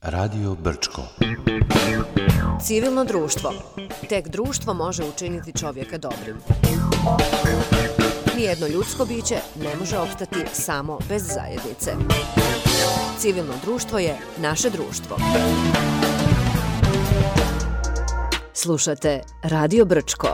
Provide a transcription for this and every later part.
Radio Brčko. Civilno društvo. Tek društvo može učiniti čovjeka dobrim. Nijedno ljudsko biće ne može opstati samo bez zajednice. Civilno društvo je naše društvo. Slušate Radio Brčko.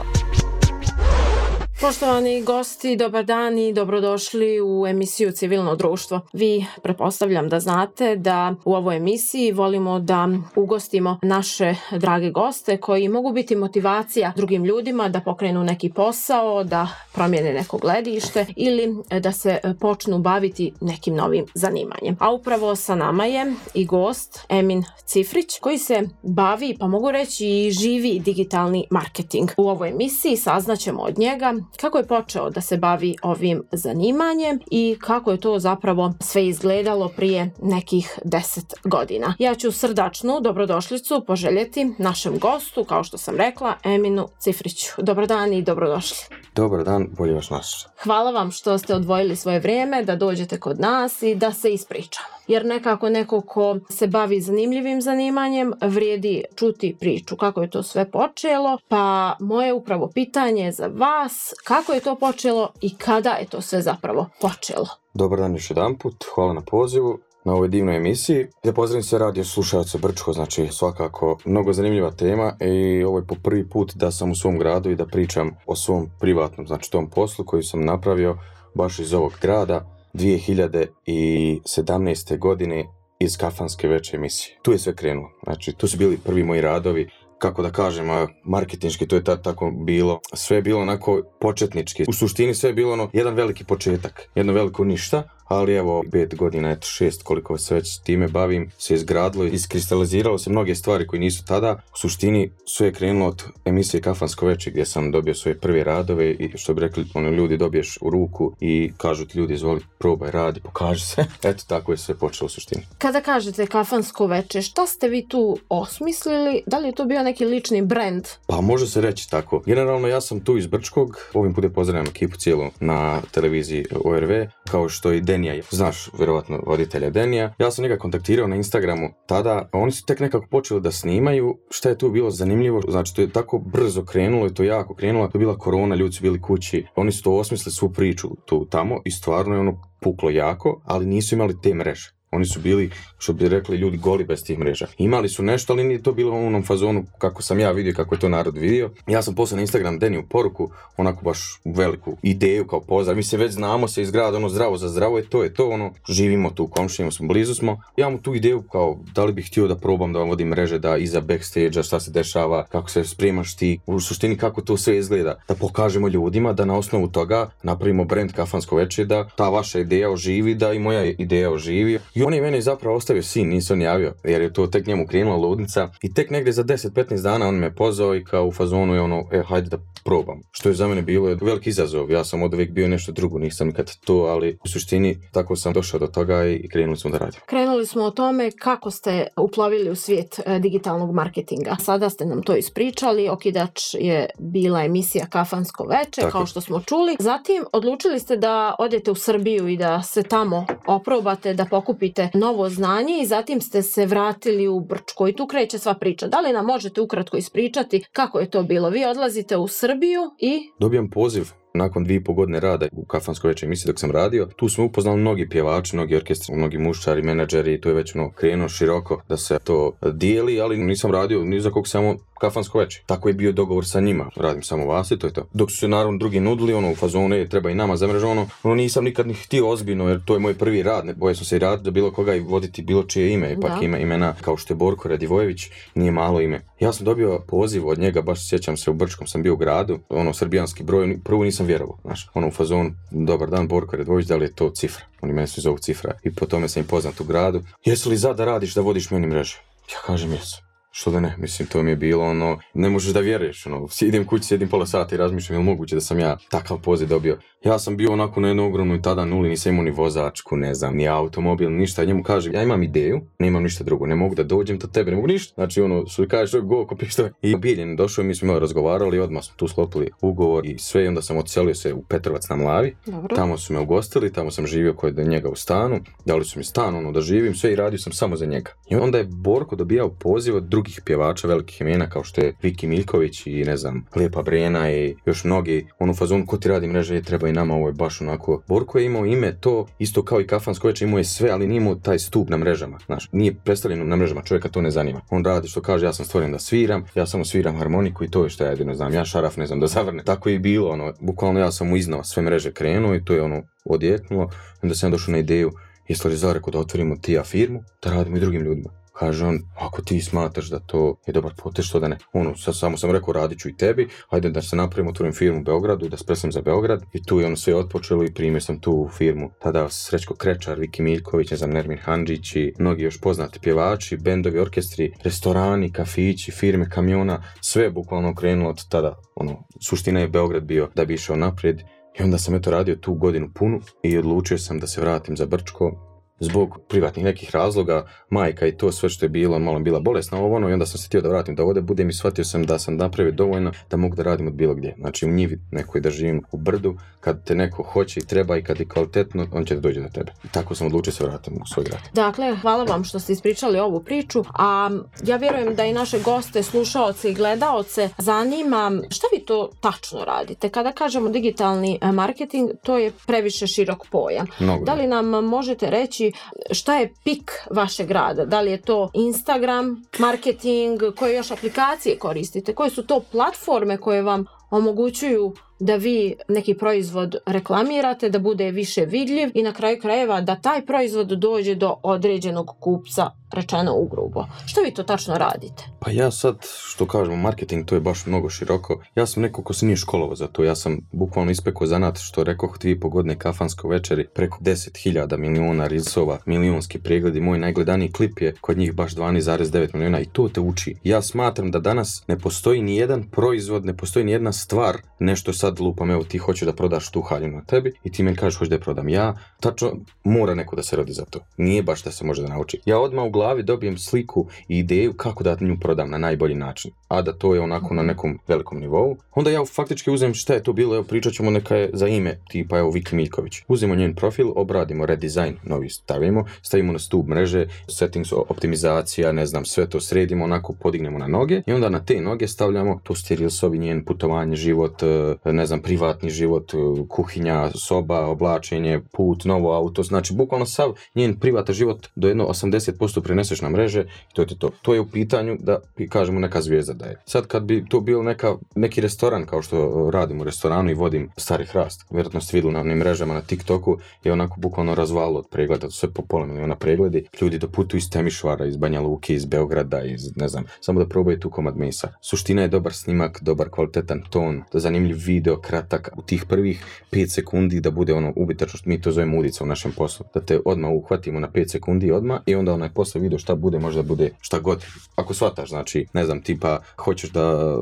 Poštovani gosti, dobar dan i dobrodošli u emisiju Civilno društvo. Vi pretpostavljam da znate da u ovoj emisiji volimo da ugostimo naše drage goste koji mogu biti motivacija drugim ljudima da pokrenu neki posao, da promijene neko gledište ili da se počnu baviti nekim novim zanimanjem. A upravo sa nama je i gost Emin Cifrić koji se bavi, pa mogu reći i živi digitalni marketing. U ovoj emisiji saznaćemo od njega kako je počeo da se bavi ovim zanimanjem i kako je to zapravo sve izgledalo prije nekih 10 godina. Ja ću srdačnu dobrodošlicu poželjeti našem gostu, kao što sam rekla, Eminu Cifriću. Dobar dan i dobrodošli. Dobar dan, bolje vas našli. Hvala vam što ste odvojili svoje vrijeme da dođete kod nas i da se ispričamo. Jer nekako neko ko se bavi zanimljivim zanimanjem vrijedi čuti priču kako je to sve počelo. Pa moje upravo pitanje za vas, kako je to počelo i kada je to sve zapravo počelo? Dobar dan još jedanput, hvala na pozivu na ovoj divnoj emisiji. Da pozdravim sve radio slušalce Brčko, znači svakako mnogo zanimljiva tema i ovo je po prvi put da sam u svom gradu i da pričam o svom privatnom, znači tom poslu koji sam napravio baš iz ovog grada 2017. godine iz kafanske veče emisije. Tu je sve krenulo, znači tu su bili prvi moji radovi, kako da kažem, marketinški, to je tako bilo. Sve je bilo onako početnički. U suštini sve je bilo jedan veliki početak, jedno veliko ništa, ali evo 5 godina, 6 koliko se već time bavim, se izgradilo, iskristaliziralo se mnoge stvari koje nisu tada. U suštini sve je krenulo od emisije Kafansko veče gdje sam dobio svoje prve radove i što bi rekli, ljudi dobiješ u ruku i kažu ti ljudi izvoli, probaj, radi, pokaži se. Eto tako je sve počelo u suštini. Kada kažete Kafansko veče, šta ste vi tu osmislili? Da li je to bio neki lični brand? Pa može se reći tako. Generalno ja sam tu iz Brčkog, ovim putem pozdravljam ekipu cijelu na televiziji ORV, kao što i Denija, znaš vjerovatno voditelja Denija. Ja sam njega kontaktirao na Instagramu tada, oni su tek nekako počeli da snimaju. Šta je tu bilo zanimljivo, znači to je tako brzo krenulo i to jako krenulo, to je bila korona, ljudi su bili kući, oni su to osmislili svu priču tu tamo i stvarno je puklo jako, ali nisu imali te mreže. Oni su bili, što bi rekli ljudi, goli bez tih mreža. Imali su nešto, ali nije to bilo u onom fazonu kako sam ja vidio, kako je to narod vidio. Ja sam poslao na Instagram Deniju poruku, onako baš veliku ideju kao pozdrav. Mi se već znamo se iz grada, zdravo za zdravo, to je to, živimo tu, komšinimo smo, blizu smo. Ja mu tu ideju kao, da li bih htio da probam da vam vodim mreže, da iza backstage-a šta se dešava, kako se spremaš ti, u suštini kako to sve izgleda. Da pokažemo ljudima, da na osnovu toga napravimo brand Kafansko veče, da ta vaša ideja oživi, da i moja ideja oživi. I on je mene zapravo ostavio sin, nisam javio, jer je to tek njemu krenula ludnica i tek negdje za 10-15 dana on me pozvao i kao u fazonu je hajde da probam. Što je za mene bilo veliki izazov, ja sam od uvijek bio nešto drugo, nisam nikad to, ali u suštini tako sam došao do toga i krenuli smo da radimo. Krenuli smo o tome kako ste uplovili u svijet digitalnog marketinga. Sada ste nam to ispričali, okidač je bila emisija Kafansko veče, tako, kao što smo čuli. Zatim odlučili ste da odete u Srbiju i da se tamo oprobate, da pokupite novo znanje i zatim ste se vratili u Brčko i tu kreće sva priča. Da li nam možete ukratko ispričati kako je to bilo? Vi odlazite u Srbiju i... Dobijam poziv nakon 2,5 godine rada u Kafansko veče emisiji dok sam radio. Tu smo upoznali mnogi pjevači, mnogi orkestri, mnogi mušćari, menadžeri, to je već krenuo široko da se to dijeli, ali nisam radio ni za kog, samo Kafansko veče. Tako je bio dogovor sa njima. Radim samo vas i to je to. Dok su se naravno drugi nudili, u fazone, treba i nama za mrežu, nisam nikad ni htio ozbiljno, jer to je moj prvi rad. Ne bojao sam se i raditi da bilo koga i voditi bilo čije ime. Ipak ima imena kao što je Borko Radivojević, nije malo ime. Ja sam dobio poziv od njega, baš sjećam se, u Brčkom sam bio u gradu, srbijanski broj, prvo nisam vjerovao, znaš, u fazonu, dobar dan Borko Radivojević, da li je to Cifra? Oni mene svi zovu Cifra i po tome sam im poznat u gradu. Jesi li za da radiš, da vodiš meni mreže? Ja kažem jesu. Što da ne, mislim, to mi je bilo ono, ne možeš da vjeruješ, ono, idem kući, sjedim pola sata i razmišljam, je li moguće da sam ja takav poziv dobio. Ja sam bio onako na jednoj ogromnoj tada nuli, nisam imao ni vozačku, ne znam, ni automobil, ništa. Njemu kaže, ja imam ideju, nemam ništa drugo, ne mogu da dođem do tebe, ne mogu ništa. Znači ono, što kažeš, go, ko pištove. I Biljen došao, mi smo imali razgovarali, odmah smo tu sklopili ugovor i sve, i onda sam odselio se u Petrovac na Mlavi. Dobro. Tamo su me ugostili, tamo sam živio kod njega u stanu, dali su mi stan, ono, da živim, sve i radio sam samo za njega. I onda je Borko dobijao poziv od drugih pjevača velikih imena, kao što je Viki Miljković i ne znam, Lijepa Brena i još mnogi, ono fazon, ko ti radi mreže, treba i nama, ovo je baš onako. Borko je imao ime to, isto kao i Kafansko veče, imao je sve, ali nije imao taj stup na mrežama, znaš, nije predstavljeno na mrežama, čovjeka to ne zanima. On radi što kaže, ja sam stvoren da sviram, ja samo sviram harmoniku i to je što ja jedino znam, ja šaraf ne znam da zavrne. Tako je i bilo, ono, bukvalno ja sam mu iznao sve mreže krenuo i to je ono odjeknulo, onda sam došao na ideju, jesi li rekao da otvorimo ti firmu, da radimo i drugim ljudima. Kaže on, ako ti smatraš da to je dobar potez, što da ne. Ono, samo sam rekao, radit ću i tebi, hajde da se napravimo, otvorim firmu u Beogradu i da spresam za Beograd. I tu je ono sve otpočelo i primio sam tu firmu. Tada Srećko Krečar, Viki Miljković, ne znam, Nermin Handžić i mnogi još poznati pjevači, bendovi, orkestri, restorani, kafići, firme, kamiona, sve je bukvalno krenulo od tada. Ono, suština je Beograd bio da bi išao naprijed. I onda sam eto radio tu godinu punu i odlučio sam da se vratim za Brčko. Zbog privatnih nekih razloga, majka i to sve što je bilo, malo bila bolesna ovo ono, i onda sam se htio da vratim da ovdje budem i shvatio sam da sam napravio dovoljno da mogu da radim od bilo gdje. Znači u njivi nekoj da živim u brdu, kad te neko hoće i treba i kad je kvalitetno, on će da dođe do tebe. I tako sam odlučio se vratim u svoj grad. Dakle, hvala vam što ste ispričali ovu priču, a ja vjerujem da i naše goste, slušaoce i gledaoce zanima šta vi to tačno radite. Kada kažemo digitalni marketing, to je previše širok pojam. Da li nam možete reći šta je pik vašeg rada? Da li je to Instagram, marketing, koje još aplikacije koristite? Koje su to platforme koje vam omogućuju da vi neki proizvod reklamirate, da bude više vidljiv i na kraju krajeva da taj proizvod dođe do određenog kupca, rečeno ugrubo. Što vi to tačno radite? Pa ja sad, što kažemo, marketing, to je baš mnogo široko. Ja sam neko ko se nije školovao za to. Ja sam bukvalno ispekao zanat, što rekoh 2,5 godine Kafansko večeri, preko 10.000 miliona reelsova, milionski pregledi. Moj najgledaniji klip je kod njih baš 12,9 miliona i to te uči. Ja smatram da danas ne postoji ni jedan proizvod, ne postoji ni jedna stvar, nešto sad lupam, evo ti hoćeš da prodaš tu haljinu na tebi i ti meni kažeš hoćeš da je prodam ja, tačno mora neko da se rodi za to. Nije baš da se može da nauči. Ja odmah u glavi dobijem sliku i ideju kako da nju prodam na najbolji način, a da to je onako na nekom velikom nivou. Onda ja faktički uzem šta je to bilo, evo pričat ćemo neka je za ime tipa evo Viki Miljković. Uzmemo njen profil, obradimo, redizajn novi stavimo na stup mreže, settings, optimizacija, ne znam, sve to sredimo, onako podignemo na noge i onda na te noge stavljamo to reelsovi, njen putovanje, život, ne znam, privatni život, kuhinja, soba, oblačenje, put, novo auto, znači bukvalno sav njen privatan život do jedno 80% preneseš na mreže i to je to. To je u pitanju da kažemo neka zvijezda da je. Sad kad bi to bio neki restoran kao što radim u restoranu i vodim Stari Hrast, vjerojatno ste vidjeli na onim mrežama na TikToku, je onako bukvalno razvalo od pregleda, sve po pola miliona pregledi, ljudi doputuju iz Temišvara, iz Banja Luke, iz Beograda, iz ne znam, samo da probaju tu komad mesa. Suština je dobar snimak, dobar kvalitetan ton, da zanimljiv video, kratak, u tih prvih 5 sekundi da bude ono ubitačno, mi to zovemo udica u našem poslu, da te odmah uhvatimo na 5 sekundi odmah i onda onaj posle video šta bude, možda bude šta god. Ako shvataš, znači, ne znam, tipa, hoćeš da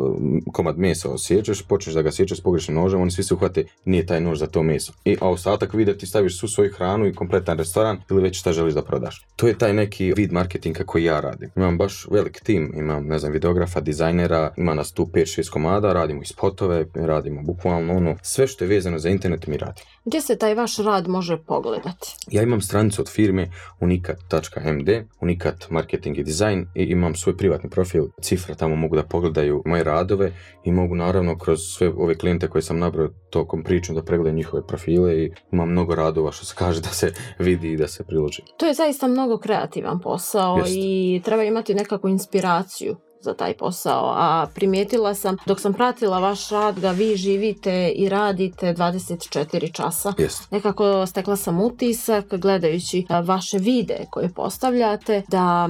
komad mesa osjećaš, počneš da ga sjećaš s pogrešnim nožem, oni svi se uhvate, nije taj nož za to meso. A ostatak videa ti staviš svu svoju hranu i kompletan restoran ili već šta želiš da prodaš. To je taj neki vid marketinga koji ja radim. Imam baš velik tim, imam, ne znam, videografa, dizajnera, ima nas tu 5-6 komada, radimo i spotove, radimo bukvalno ono, sve što je vezano za internet mi radimo. Gdje se taj vaš rad može pogledati? Ja imam stranicu od firme unikat.md, Unikat marketing i dizajn i imam svoj privatni profil Cifra, tamo mogu da pogledaju moje radove i mogu naravno kroz sve ove klijente koje sam nabrao tokom pričom da pregledaju njihove profile i imam mnogo radova što se kaže da se vidi i da se priloži. To je zaista mnogo kreativan posao. Jest. I treba imati nekakvu inspiraciju za taj posao, a primijetila sam dok sam pratila vaš rad da vi živite i radite 24 časa. Jest. Nekako stekla sam utisak gledajući vaše videe koje postavljate da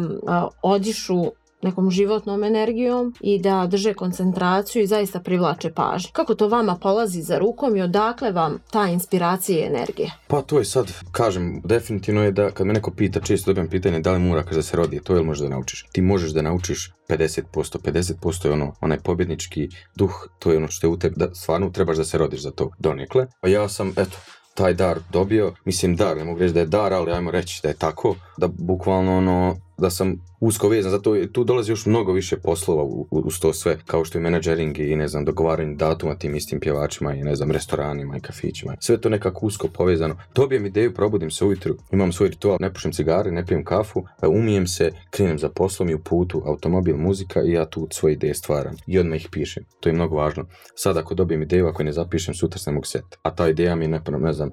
odišu nekom životnom energijom i da drže koncentraciju i zaista privlače pažnju. Kako to vama polazi za rukom i odakle vam ta inspiracija i energija? Pa to je sad, kažem, definitivno je da kad me neko pita, često dobijem pitanje da li mora da se rodi, to je li možeš da naučiš? Ti možeš da naučiš 50% je onaj pobjednički duh, to je ono što je u tebi, da stvarno trebaš da se rodiš za to donekle. A ja sam, taj dar dobio, mislim dar, ne mogu reći da je dar, ali ajmo reći da je tako, da bukvalno da sam usko vezan, zato tu dolazi još mnogo više poslova uz to sve, kao što je menadžering i dogovaranje datuma tim istim pjevačima i restoranima i kafićima. Sve to nekako usko povezano. Dobijem ideju, probudim se ujutru, imam svoj ritual, ne pušim cigare, ne pijem kafu, umijem se, krenem za poslom i u putu, automobil, muzika i ja tu svoje ideje stvaram i odmah ih pišem. To je mnogo važno. Sad ako dobijem ideju, ako je ne zapišem, sutra se ne mogu setiti. A ta ideja mi je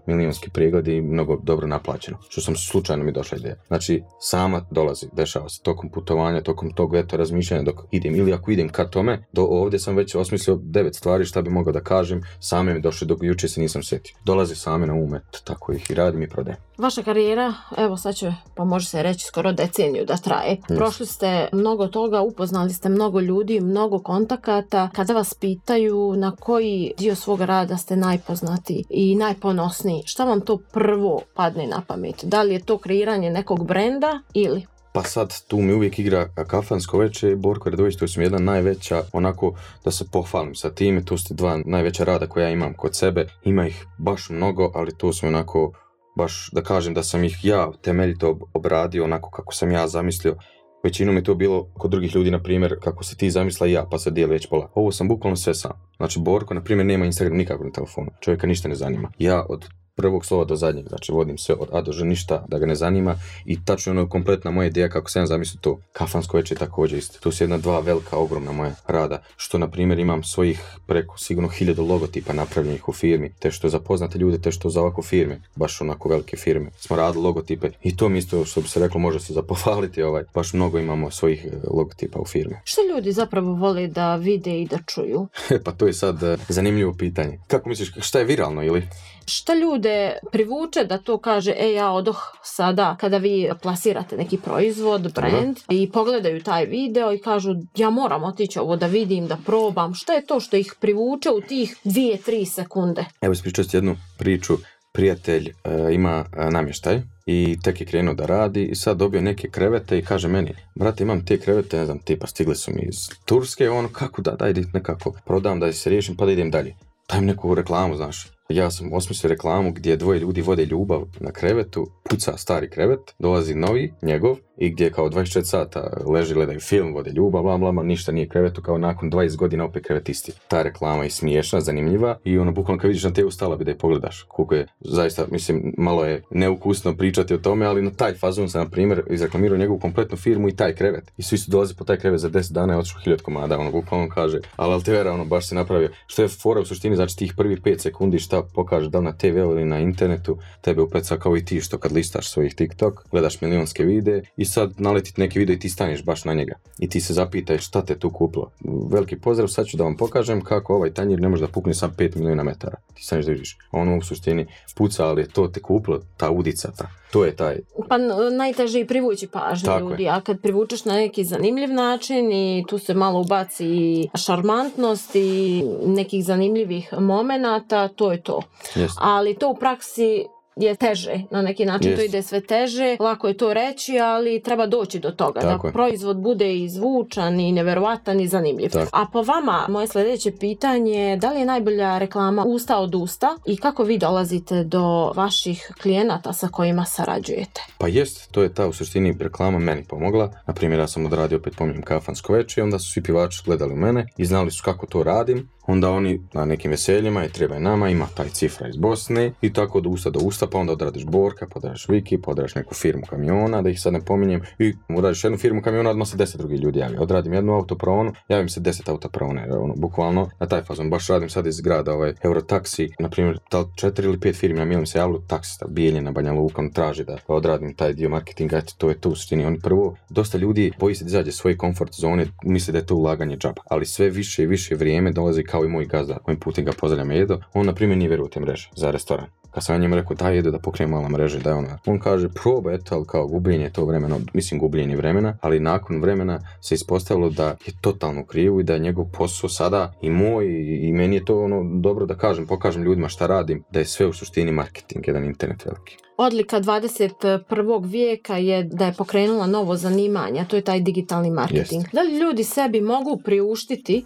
milionski pregled i mnogo dobro naplaćeno. Što sam slučajno mi došla ideja. Znači, sama dolazi, dešava se tokom putovanja, tokom tog razmišljanja dok idem, ili ako idem ka tome, ovdje sam već osmislio 9 stvari šta bi mogao da kažem, same mi došle dok jučer se nisam sjetio. Dolaze same na umet, tako ih i radim i prodajem. Vaša karijera, evo sad će, pa može se reći, skoro deceniju da traje. Prošli ste mnogo toga, upoznali ste mnogo ljudi, mnogo kontakata. Kada vas pitaju na koji dio svoga rada ste najpoznatiji i najponosniji, šta vam to prvo padne na pamet? Da li je to kreiranje nekog brenda ili? Pa sad tu mi uvijek igra Kafansko veče i Borko Radović, to su mi jedna najveća, onako da se pohvalim sa time, to su 2 najveća rada koja imam kod sebe, ima ih baš mnogo, ali to su onako, baš da kažem da sam ih ja temeljito obradio onako kako sam ja zamislio. Većinom je to bilo kod drugih ljudi, na primjer, kako se ti zamisla i ja, pa se dijeli već pola. Ovo sam bukvalno sve sam. Znači Borko, na primjer, nema Instagram nikako na telefonu, čovjeka ništa ne zanima. Ja od prvog slova do zadnjeg, znači vodim sve od A do Ž, ništa da ga ne zanima i tačno kompletna moja ideja kako sam zamislio to. Kafansko veče je također isto. To su 2 velika, ogromna moja rada, što na primjer imam svojih preko sigurno 1000 logotipa napravljenih u firmi, te što za poznate ljude, te što za ovako firme, baš onako velike firme. Smo radili logotipe i to mi isto, što bi se reklo, može se zapovaliti, baš mnogo imamo svojih logotipa u firmi. Što ljudi zapravo vole da vide i da čuju? Pa to je sad zanimljivo pitanje. Kako misliš, šta je viralno ili? Šta ljude privuče da to kaže, ja odoh sada kada vi plasirate neki proizvod, brand i pogledaju taj video i kažu ja moram otići ovo da vidim, da probam. Šta je to što ih privuče u tih 2-3 sekunde? Evo ispričao ti jednu priču. Prijatelj ima namještaj i tek je krenuo da radi i sad dobio neke krevete i kaže meni, brate, imam te krevete, ne znam, tipa stigli su mi iz Turske, kako da, daj nekako prodam da se riješim pa da idem dalje. Dajem neku reklamu, znaš. Ja sam osmislio reklamu gdje 2 ljudi vode ljubav na krevetu, puca stari krevet, dolazi novi, njegov, i gdje kao 24 sata leži, gledaju film, vode ljubav, bla bla, ništa nije krevetu, kao nakon 20 godina opet krevet isti. Ta reklama je smiješna, zanimljiva i bukvalno kad vidiš na te stala bi da je pogledaš. Koliko je, zaista, mislim, malo je neukusno pričati o tome, ali na taj fazon sam, na primjer, izreklamirao njegovu kompletnu firmu i taj krevet. I svi su dolazi po taj krevet za 10 dana i otišao 1000 komada, bukvalno kaže, ali te vera, baš se napravio. Što je fora u suštini, znači tih prvih 5 sekundi šta pokaže da li na TV ili na internetu, tebe upeca kao i ti što kad listaš svojih TikTok, gledaš milionske videe i sad naletit neki video i ti staneš baš na njega i ti se zapitaj šta te tu kupilo. Veliki pozdrav, sad ću da vam pokažem kako ovaj tanjir ne može da pukne sam 5 milijuna metara. Ti staneš da vidiš, u suštini puca, ali je to te kupilo, ta udica, to je taj. Pa najteže je privući pažnju ljudi, a kad privučeš na neki zanimljiv način i tu se malo ubaci šarmantnost i nekih zanimljivih momenata, to je to. Yes. Ali to u praksi je teže, na neki način to ide sve teže, lako je to reći, ali treba doći do toga, da proizvod bude i zvučan i neverovatan i zanimljiv. A po vama, moje sljedeće pitanje, da li je najbolja reklama usta od usta i kako vi dolazite do vaših klijenata sa kojima sarađujete? Pa jest, to je ta u suštini reklama meni pomogla. Naprimjer, ja sam odradio, opet pominjem, Kafansko veče, onda su svi pjevači gledali u mene i znali su kako to radim. Onda oni na nekim veseljima i treba nama, ima taj cifra iz Bosne i tako od usta do usta, pa onda odradiš Borka, pa odradiš Viki, pa odradiš neku firmu kamiona, da ih sad ne pominjem, i odradiš jednu firmu kamiona, odmah se 10 drugih ljudi javi. Odradim jednu autopraonu, javim se 10 autopraone, bukvalno na taj fazon. Baš radim sad iz grada Eurotaksi, na primjer, 4 ili 5 firmi na milim se javilo, taksista, Bijeljina, Banja Luka, on traži da odradim taj dio marketinga, to je to u suštini. Oni prvo, dosta ljudi boji se da izađe svoje komfort zone, misle da je to ulaganje džaba, ali sve više i više vrijeme dolazi kao i moj gazda, kojim putem ga pozdravljam Edo, on na primjer nije vjeruje u te mreže za restoran. Kad sam ja njemu rekao daj da pokrijem malo mreže, da je on kaže probaj, eto, ali kao gubljenje to vremena, mislim gubljenje vremena, ali nakon vremena se ispostavilo da je totalno krivo i da je njegov posao sada i moj i meni je to dobro da pokažem ljudima šta radim, da je sve u suštini marketing, jedan internet veliki. Odlika 21. vijeka je da je pokrenula novo zanimanje, a to je taj digitalni marketing. Jest. Da li ljudi sebi mogu priuštiti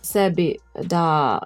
da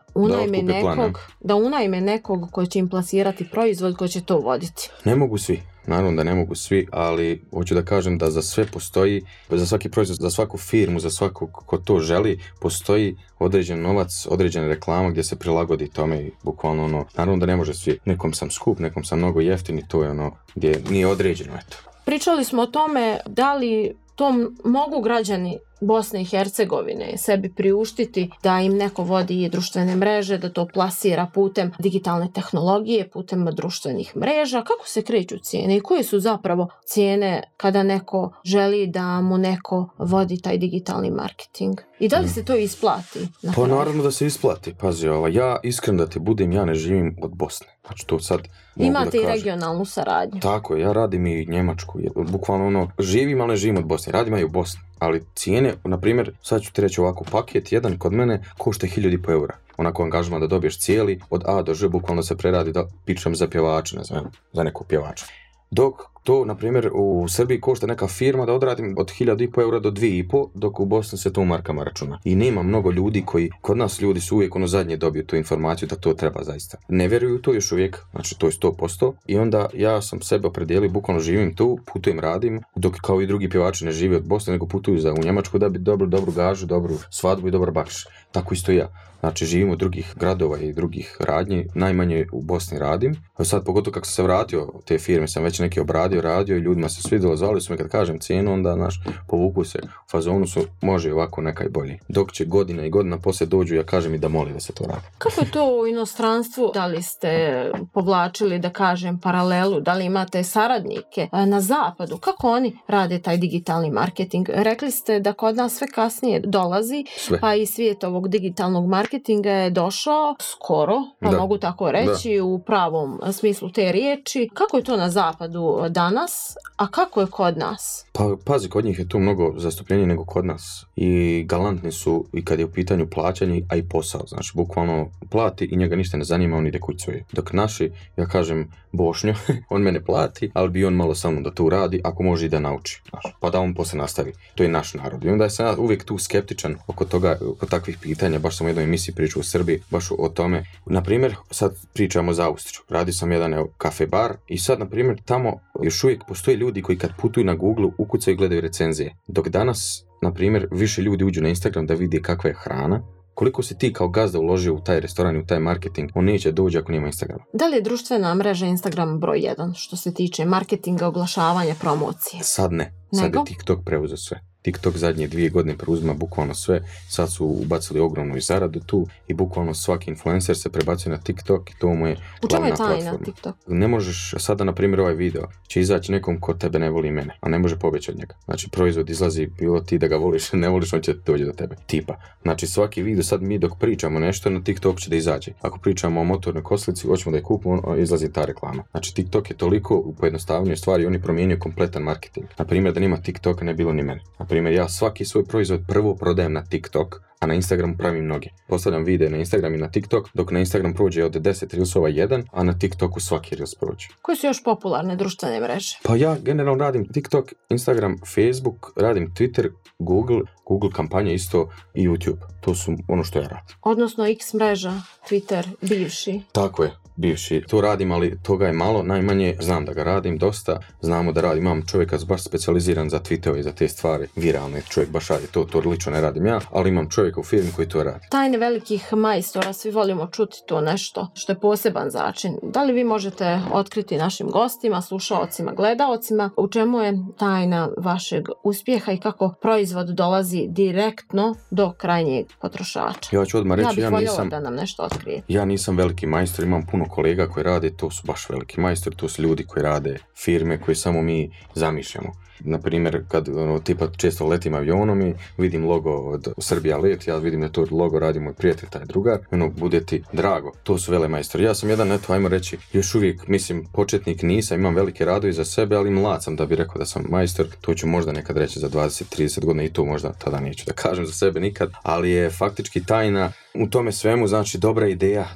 unajme nekog koji će im plasirati proizvod koji će to voditi? Ne mogu svi. Naravno da ne mogu svi, ali hoću da kažem da za sve postoji, za svaki proizvod, za svaku firmu, za svakog ko to želi, postoji određen novac, određena reklama gdje se prilagodi tome i bukvalno naravno da ne može svi. Nekom sam skup, nekom sam mnogo jeftin i to je gdje nije određeno, eto. Pričali smo o tome da li to mogu građani Bosne i Hercegovine sebi priuštiti da im neko vodi društvene mreže, da to plasira putem digitalne tehnologije, putem društvenih mreža. Kako se kreću cijene i koje su zapravo cijene kada neko želi da mu neko vodi taj digitalni marketing? I da li se to isplati? Pa naravno da se isplati. Pazi, ja iskreno da ti budem, ja ne živim od Bosne. Znači to sad imate i regionalnu saradnju. Tako, ja radim i Njemačku. Bukvalno živim, ali ne živim od Bosne. Radim i u Bosni. Ali cijene, na primjer, sad ću ti reći ovako, paket jedan kod mene košta 1.500 eura. Onako angažman da dobiješ cijeli, od A do Ž, bukvalno se preradi da pičem za pjevača, ne znam, za nekog pjevača. Dok to, na primjer, u Srbiji košta neka firma da odradim od 1.500 eura do 2.500, dok u Bosni se to u markama računa. I nema mnogo ljudi kod nas ljudi su uvijek zadnje dobiju tu informaciju da to treba zaista. Ne vjeruju to još uvijek, znači to je 100%. I onda ja sam sebe opredijelio, bukvalno živim tu, putujem, radim, dok kao i drugi pjevači ne žive od Bosne, nego putuju u Njemačku da bi dobru gažu, dobru svadbu i dobar bakš. Tako isto i ja. Znači živim u drugih gradova i drugih radnji, najmanje u Bosni radim. A sad pogotovo kako sam se vratio, te firme sam već neke radio i ljudima se svidjelo, zvali su me kad kažem cijenu, onda povuku se, u fazonu su može ovako nekaj bolji. Dok će godina i godina poslije dođu, ja kažem i da moli da se to radi. Kako je to u inostranstvu? Da li ste povlačili, da kažem, paralelu? Da li imate saradnike na zapadu? Kako oni rade taj digitalni marketing? Rekli ste da kod nas sve kasnije dolazi, pa i svijet ovog digitalnog marketinga je došao skoro, pa mogu tako reći, u pravom smislu te riječi. Kako je to na zapadu danas, a kako je kod nas? Pa pazi, kod njih je tu mnogo zastupljenije nego kod nas i galantni su i kad je u pitanju plaćanje, a i posao. Znači, bukvalno plati i njega ništa ne zanima, on ide kućuje. Dok naši, ja kažem, Bošnjo, on mene plati, ali bi on malo sa mnom da to uradi, ako može i da nauči. Znači, pa da on poslije nastavi. To je naš narod. I onda sam ja uvijek tu skeptičan oko toga, oko takvih pitanja. Baš sam u jednoj emisiji pričao u Srbiji, baš o tome. Naprimjer, sad pričamo za Austriju. Radi sam jedan kafe bar i sad, naprimjer, tamo još uvijek postoje ljudi koji kad putuju na Google ukucaju i gledaju recenzije. Dok danas, na primjer, više ljudi uđu na Instagram da vidi kakva je hrana. Koliko si ti kao gazda uložio u taj restoran i u taj marketing, on neće doći ako nema Instagrama. Da li je društvena mreža Instagram broj 1 što se tiče marketinga, oglašavanja, promocije? Sad ne. Sad je TikTok preuzeo sve. TikTok zadnje 2 godine preuzima bukvalno sve, sad su ubacili ogromnu zaradu tu i bukvalno svaki influencer se prebacuje na TikTok i to mu je glavna platforma. U čemu je tajna TikTok? Ne možeš sada, na primjer, ovaj video će izaći nekom ko tebe ne voli mene, a ne može pobjeći od njega. Znači, proizvod izlazi, bilo ti da ga voliš, ne voliš, on će doći do tebe. Tipa. Znači, svaki video, sad mi dok pričamo nešto, na TikTok će da izađe. Ako pričamo o motornoj kosilici, hoćemo da je kupimo, izlazi ta reklama. Znači, TikTok je toliko pojednostavnije stvari, on je promijenio kompletan marketing. Na primjer, da nema TikToka ne bilo ni mene. Na primjer, ja svaki svoj proizvod prvo prodajem na TikTok, a na Instagramu pravim mnoge. Postavljam videe na Instagram i na TikTok, dok na Instagram prođe od 10 reelsova jedan, a na TikToku svaki reels prođe. Koje su još popularne društvene mreže? Pa ja generalno radim TikTok, Instagram, Facebook, radim Twitter, Google kampanje isto i YouTube. To su ono što ja radim. Odnosno X mreža, Twitter, bivši. Tako je. Bivši. To radim, ali toga je malo, najmanje znam da ga radim dosta, znamo da radim, imam čovjeka baš specijaliziran za tweetove i za te stvari, viralne, čovjek baš radi, to lično ne radim ja, ali imam čovjeka u firmi koji to radi. Tajne velikih majstora, svi volimo čuti to nešto što je poseban začin. Da li vi možete otkriti našim gostima, slušaocima, gledaocima, u čemu je tajna vašeg uspjeha i kako proizvod dolazi direktno do krajnjeg potrošača? Ja ću odmah reći, ja bih voljela da nam nešto otkrije. Ja nisam veliki majstor, imam puno kolega koji rade, to su baš veliki majstori, to su ljudi koji rade firme koje samo mi zamišljamo. Naprimjer, kad tipa često letim avionom i vidim logo od Srbija let, ja vidim da to logo radi moj prijatelj, taj drugar, bude ti drago. To su vele majstori. Ja sam jedan, ajmo reći, još uvijek, mislim, početnik nisam, imam velike radovi za sebe, ali mlad sam da bi rekao da sam majstor. To ću možda nekad reći za 20-30 godina i to možda tada neću da kažem za sebe nikad, ali je faktički tajna u tome svemu, znači dobra ideja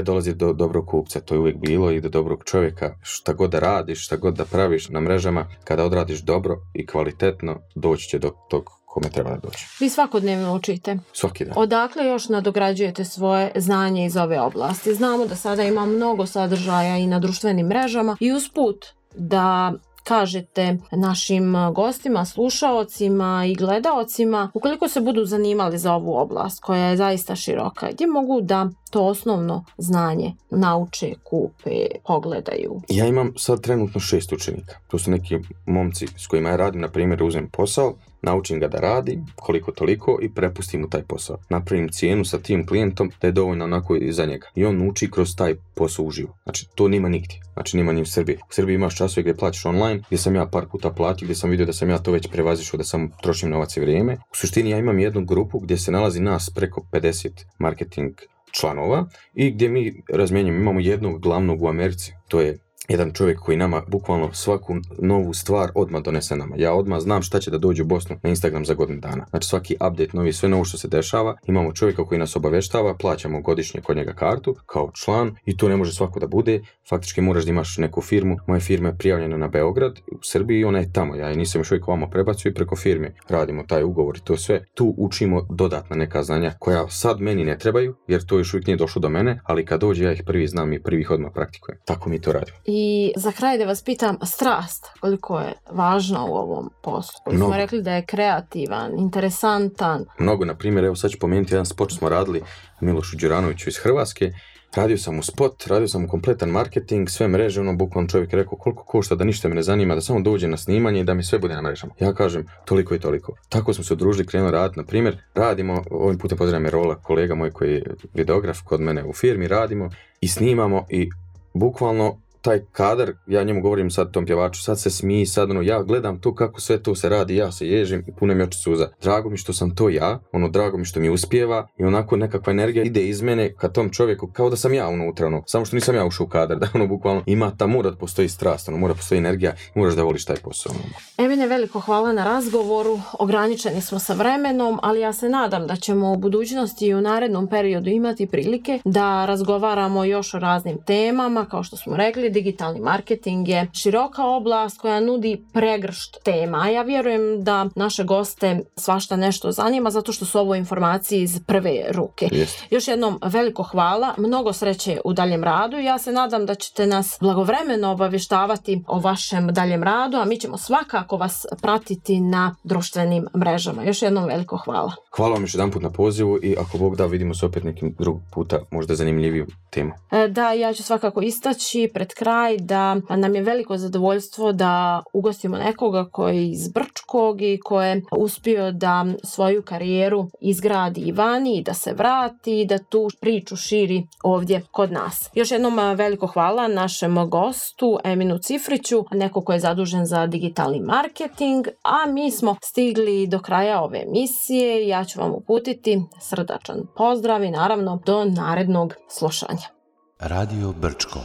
dolazi do dobrog kupca, to je uvijek bilo, i do dobrog čovjeka. Šta god da radiš, šta god da praviš na mrežama, kada odradiš dobro i kvalitetno, doći će do tog kome treba da doći. Vi svakodnevno učite. Svaki dan. Odakle još nadograđujete svoje znanje iz ove oblasti? Znamo da sada ima mnogo sadržaja i na društvenim mrežama i usput da kažete našim gostima, slušaocima i gledaocima, ukoliko se budu zanimali za ovu oblast koja je zaista široka, gdje mogu da to osnovno znanje nauče, kupe, pogledaju? Ja imam sad trenutno 6 učenika. To su neki momci s kojima ja radim, na primjer, uzmem posao, naučim ga da radi, koliko toliko, i prepustim mu taj posao. Napravim cijenu sa tim klijentom da je dovoljno onako i za njega. I on uči kroz taj posao uživo. Znači, to nima nigdje. Znači, nima ni u Srbiji. U Srbiji imaš časove gdje plaćaš online, gdje sam ja par puta platio, gdje sam vidio da sam ja to već prevazišao, da sam trošim novac i vrijeme. U suštini ja imam jednu grupu gdje se nalazi nas preko 50 marketing članova i gdje mi razmjenjujemo, imamo jednog glavnog u Americi, to je jedan čovjek koji nama bukvalno svaku novu stvar odmah donese nama. Ja odmah znam šta će da dođe u Bosnu na Instagram za godinu dana. Znači svaki update novi, sve novo što se dešava, imamo čovjeka koji nas obaveštava, plaćamo godišnje kod njega kartu kao član i to ne može svako da bude. Faktički moraš da imaš neku firmu. Moja firma je prijavljena na Beograd, u Srbiji, i ona je tamo. Ja nisam još uvijek ovamo prebacio i preko firme radimo taj ugovor i to sve. Tu učimo dodatna neka znanja koja sad meni ne trebaju, jer to još uvijek nije došlo do mene, ali kad dođe ja ih prvi znam i prvih odmah praktikujem. Tako mi to radimo. I za kraj da vas pitam, strast, koliko je važna u ovom poslu? Koji smo rekli da je kreativan, interesantan. Mnogo, na primjer, evo sad ću pomenuti jedan spot smo radili Milošu Đuranoviću iz Hrvatske. Radio sam u spot, radio sam u kompletan marketing, sve mreže, bukvalno čovjek je rekao koliko košta, da ništa me ne zanima, da samo dođe na snimanje i da mi sve bude na mrežama. Ja kažem toliko i toliko. Tako smo se udružili, krenuli raditi, na primjer, radimo, ovim putem pozdravljam Rola, kolega moj koji je videograf kod mene u firmi, radimo i snimamo i bukvalno taj kadar, ja njemu govorim sad tom pjevaču, sad se smiji, sad ja gledam to kako sve to se radi, ja se ježim i punem mi oči suza. Drago mi što sam to ja, drago mi što mi uspijeva i onako nekakva energija ide iz mene ka tom čovjeku, kao da sam ja unutra, samo što nisam ja ušao u kadar, da bukvalno ima ta mora da postoji strast, mora postoji energija i moraš da voliš taj posao. Emine, veliko hvala na razgovoru, ograničeni smo sa vremenom, ali ja se nadam da ćemo u budućnosti i u narednom periodu imati prilike da razgovaramo još o raznim temama, kao što smo rekli, digitalni marketing je široka oblast koja nudi pregršt tema, a ja vjerujem da naše goste svašta nešto zanima zato što su ovo informacije iz prve ruke. Još jednom veliko hvala, mnogo sreće u daljem radu i ja se nadam da ćete nas blagovremeno obavještavati o vašem daljem radu, a mi ćemo svakako vas pratiti na društvenim mrežama. Još jednom veliko hvala. Hvala vam još jedan put na pozivu i ako Bog da, vidimo se opet nekim drugog puta, možda zanimljiviju temu. Da, ja ću svakako istaći pred kraj da nam je veliko zadovoljstvo da ugostimo nekoga koji je iz Brčkog i koji je uspio da svoju karijeru izgradi i vani i da se vrati i da tu priču širi ovdje kod nas. Još jednom veliko hvala našem gostu Eminu Cifriću, neko ko je zadužen za digitalni marketing, a mi smo stigli do kraja ove emisije. Ja ću vam uputiti srdačan pozdrav i naravno do narednog slušanja. Radio Brčko.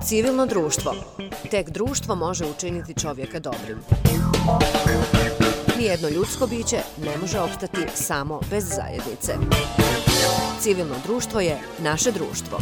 Civilno društvo. Tek društvo može učiniti čovjeka dobrim. Nijedno ljudsko biće ne može opstati samo bez zajednice. Civilno društvo je naše društvo.